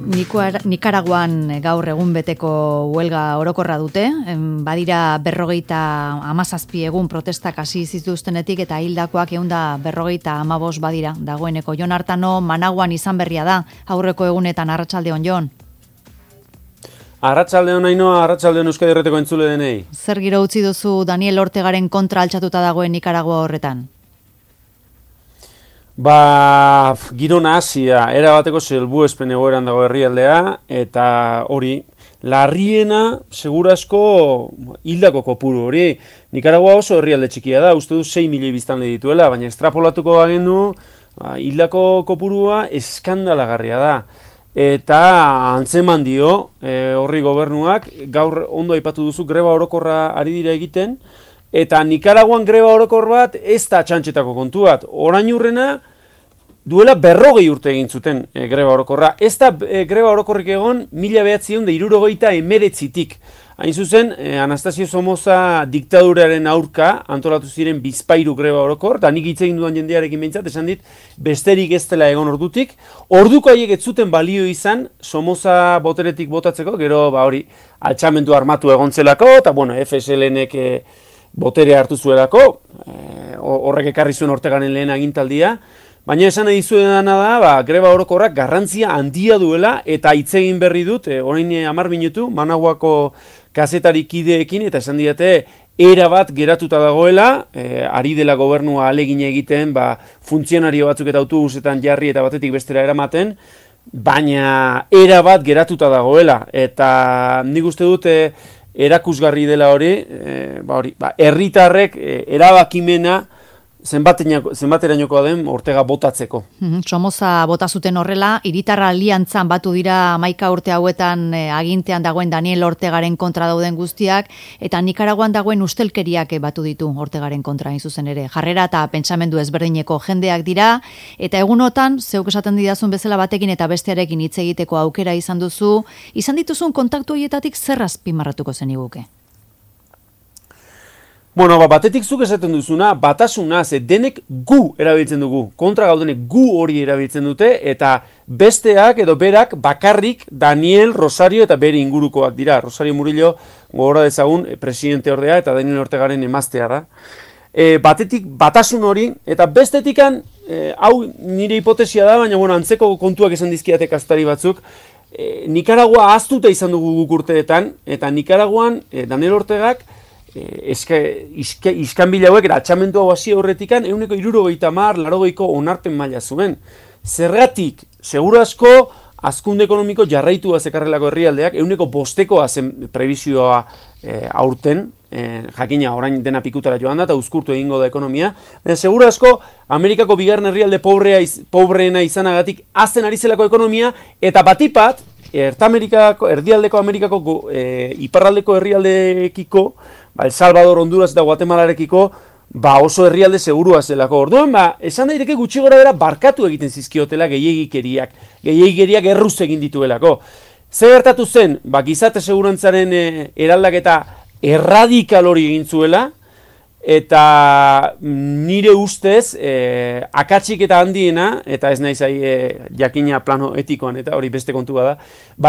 Nikaraguan gaur egun beteko huelga orokorra dute, badira 57 egun protestak hasi zituztenetik eta hildakoak 155 badira dagoeneko. Jon Artano, Managuan izan berria da, aurreko egunetan. Arratsaldeon, Jon. Arratsaldeon Ainhoa, arratsaldeon Euskadi Irratiko entzule denei. Zer giro utzi duzu Daniel Ortegaren kontra altxatuta dagoen Nikaragua horretan? Giro nahazia, era bateko selbuespen egoeran dago herrialdea, eta hori, larriena, segurazko hildako kopuru hori. Nikaragua oso herrialde txikia da, uste du 6 milioi biztanle dituela, baina estrapolatuko bagendu, hildako kopurua eskandalagarria da. Eta antzeman dio, horri gobernuak, gaur ondo aipatu duzu, greba orokorra ari dira egiten, eta Nikaraguan greba orokor bat ez da txantxetako kontu bat. Orain urrena, duela 40 urte egin zuten greba orokorra. Ez da greba orokorrik egon 1979tik. Hain zuzen, Anastasio Somoza diktaduraren aurka antolatu ziren bizpahiru greba orokor, eta nik hitz egin dudan jendearekin behintzat, esan dit, besterik ez dela egon ordutik. Orduko haiek ez zuten balio izan Somoza boteretik botatzeko, gero hori altxamendu armatu egontzelako, eta FSLnek botere hartu zuelako, horrek ekarri zuen Ortegaren lehen agintaldia, baina esan nahi dizuedana da, greba orokorrak garrantzia handia duela, eta hitz egin berri dut, orain 10 minutu, Managuako kazetari kideekin, eta esan diate, erabat geratuta dagoela, ari dela gobernua ahalegin egiten, funtzionario batzuk eta autobusetan jarri eta batetik bestera eramaten, baina erabat geratuta dagoela, eta nik uste dut, erakusgarri dela hori, herritarrek erabakimena zenbaterainokoa den Ortega botatzeko. Somoza bota zuten horrela, hiritarra aliantzan batu dira 11 urte hauetan agintean dagoen Daniel Ortegaren kontra dauden guztiak, eta Nikaraguan dagoen ustelkeriak batu ditu Ortegaren kontra hain zuzen ere. Jarrera eta pentsamendu ezberdineko jendeak dira, eta egunotan, zeuk esaten didazun bezala batekin eta bestearekin hitz egiteko aukera izan duzu, izan dituzun kontaktu horietatik zer azpimarratuko zeniguke? Batetik zuk esaten duzuna, batasuna, denek gu erabiltzen dugu, kontra gaudenek gu hori erabiltzen dute, eta besteak edo berak bakarrik Daniel, Rosario eta bere ingurukoak dira. Rosario Murillo gogora dezagun presidente ordea eta Daniel Ortegaren emaztea da. Batetik batasun hori, eta bestetikan, hau nire hipotesia da, baina antzeko kontuak esan dizkiate kazetari batzuk, Nikaragua ahaztuta izan dugu guk urteetan, eta Nikaraguan Daniel Ortegak iskanbila hauek altxamendu hau hasi horretikan 70, 80 onarpen maila zuen. Zergatik, segurazko hazkunde ekonomiko jarraitua zekarrelako herrialdeak 5%koa zen prebizioa aurten, jakina orain dena pikutara joan da eta uzkurtu egingo da ekonomia. Segurazko Amerikako bigarren herrialde pobreena izanagatik hazten ari zelako ekonomia, eta batipat erdialdeko Amerikako iparraldeko herrialdeekiko, El Salvador, Honduras eta Guatemalarekiko, oso herrialde segurua zelako. Orduan, esan daiteke gutxi gora bera barkatu egiten zizkiotela gehiegikeriak erruz egin dituelako. Zer gertatu zen, gizarte segurantzaren eraldaketa erradikal hori egin zuela, eta nire ustez, akatsik eta handiena, eta ez naiz jakina plano etikoan, eta hori beste kontua da,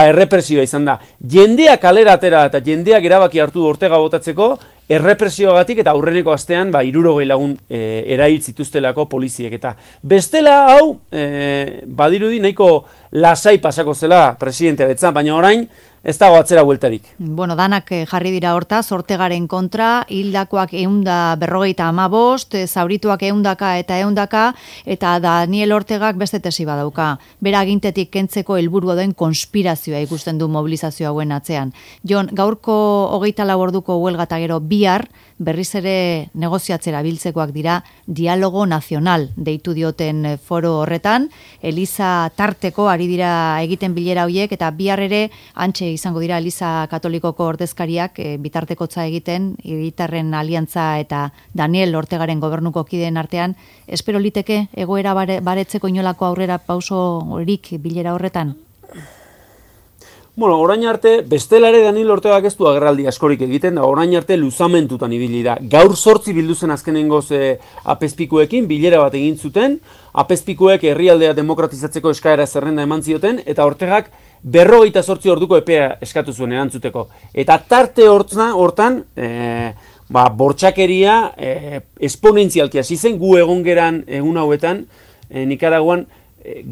errepresioa izan da. Jendeak kalera atera eta jendeak erabaki hartu Ortega botatzeko, errepresioagatik eta aurreneko astean 60 lagun erail zituztelako poliziek. Eta bestela hau, badirudi nahiko lasai pasako zela presidentea betzan, baina orain, ez dago atzera bueltarik. Danak jarri dira hortaz, Ortegaren kontra, hildakoak 155, zaurituak 100 eta 100, eta Daniel Ortegak beste tesi badauka. Bera agintetik kentzeko helburua den konspirazioa ikusten du mobilizazio hauen atzean. Jon, gaurko 24 orduko huelga eta gero bihar, berriz ere negoziatzera biltzekoak dira dialogo nazional deitu dioten foro horretan, Eliza tarteko ari dira egiten bilera horiek, eta bihar ere antxe izango dira Eliza Katolikoko ordezkariak bitartekotza egiten, hiritarren aliantza eta Daniel Ortegaren gobernuko kideen artean. Espero liteke egoera baretzeko inolako aurrera pauso horik bilera horretan? Orain arte, bestelare Daniel Ortegak ez du agerraldi askorik egiten, da orain arte luzamentutan ibili da. Gaur 8 bildu zen azkenengoz apezpikuekin, bilera bat egin zuten, apezpikuek herrialdea demokratizatzeko eskaera zerrenda eman zioten, eta Ortegak 48 orduko epea eskatu zuen erantzuteko. Eta tarte hortan, bortxakeria esponentzialki hasi zen, gu egon geran egun hauetan, Nikaraguan,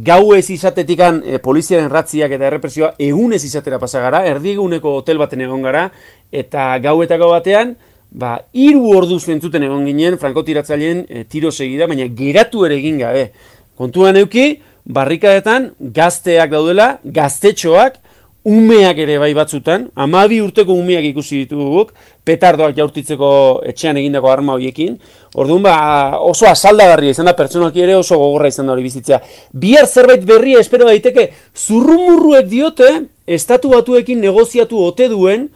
gau ez izatetikan poliziaren ratziak eta errepresioa egun ez izatera pasa gara, erdieguneko hotel baten egon gara, eta gauetako batean, 3 orduz entzuten egon ginen, frankotiratzaileen tiro segida, baina geratu ere egin gabe. Kontuan euki, barrikadetan gazteak daudela, gaztetxoak, umeak ere bai batzutan, 12 urteko umeak ikusi dituguk, petardoak jaurtitzeko etxean egindako arma horiekin. Orduan, oso asaldagarria izan da, pertsonalki ere oso gogorra izan da hori bizitzea. Bihar zerbait berria espero daiteke, zurrumurruek diote, estatu batuekin negoziatu ote duen,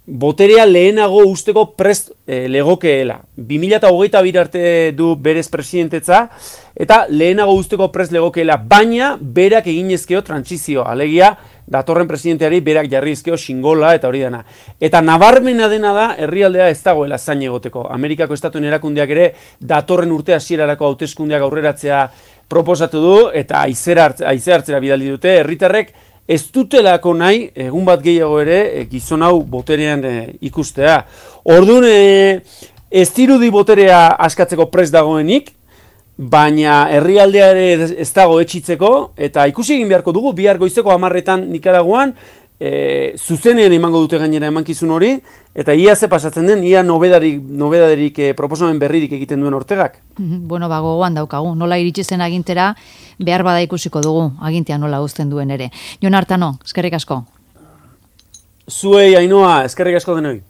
boterea lehenago usteko prest legokeela. 2022 arte du berez presidentetza, eta lehenago usteko prest legokeela, baina berak eginezkeo trantsizio, alegia datorren presidenteari berak jarrizkeo xingola eta hori dena. Eta nabarmena dena da, herrialdea ez dagoela zain egoteko. Amerikako estatuen erakundeak ere datorren urte hasierarako hauteskundeak aurreratzea proposatu du, eta haize hartzera bidali dute, herritarrek ez dutelako nahi, egun bat gehiago ere, gizon hau boterean ikustea. Orduan, ez dirudi boterea askatzeko prest dagoenik, baina herrialdea ere ez dago etxitzeko, eta ikusi egin beharko dugu, bihar goizeko 10etan Nikaraguan, zuzenean emango dute gainera emankizun hori, eta ia ze pasatzen den, ia nobedaderik proposamen berririk egiten duen Ortegak. Bueno, gogoan daukagu, nola iritsi zen agintera, behar bada ikusiko dugu, agintea nola uzten duen ere. Jon Artano, eskerrik asko. Zuei, Ainhoa, eskerrik asko denoi.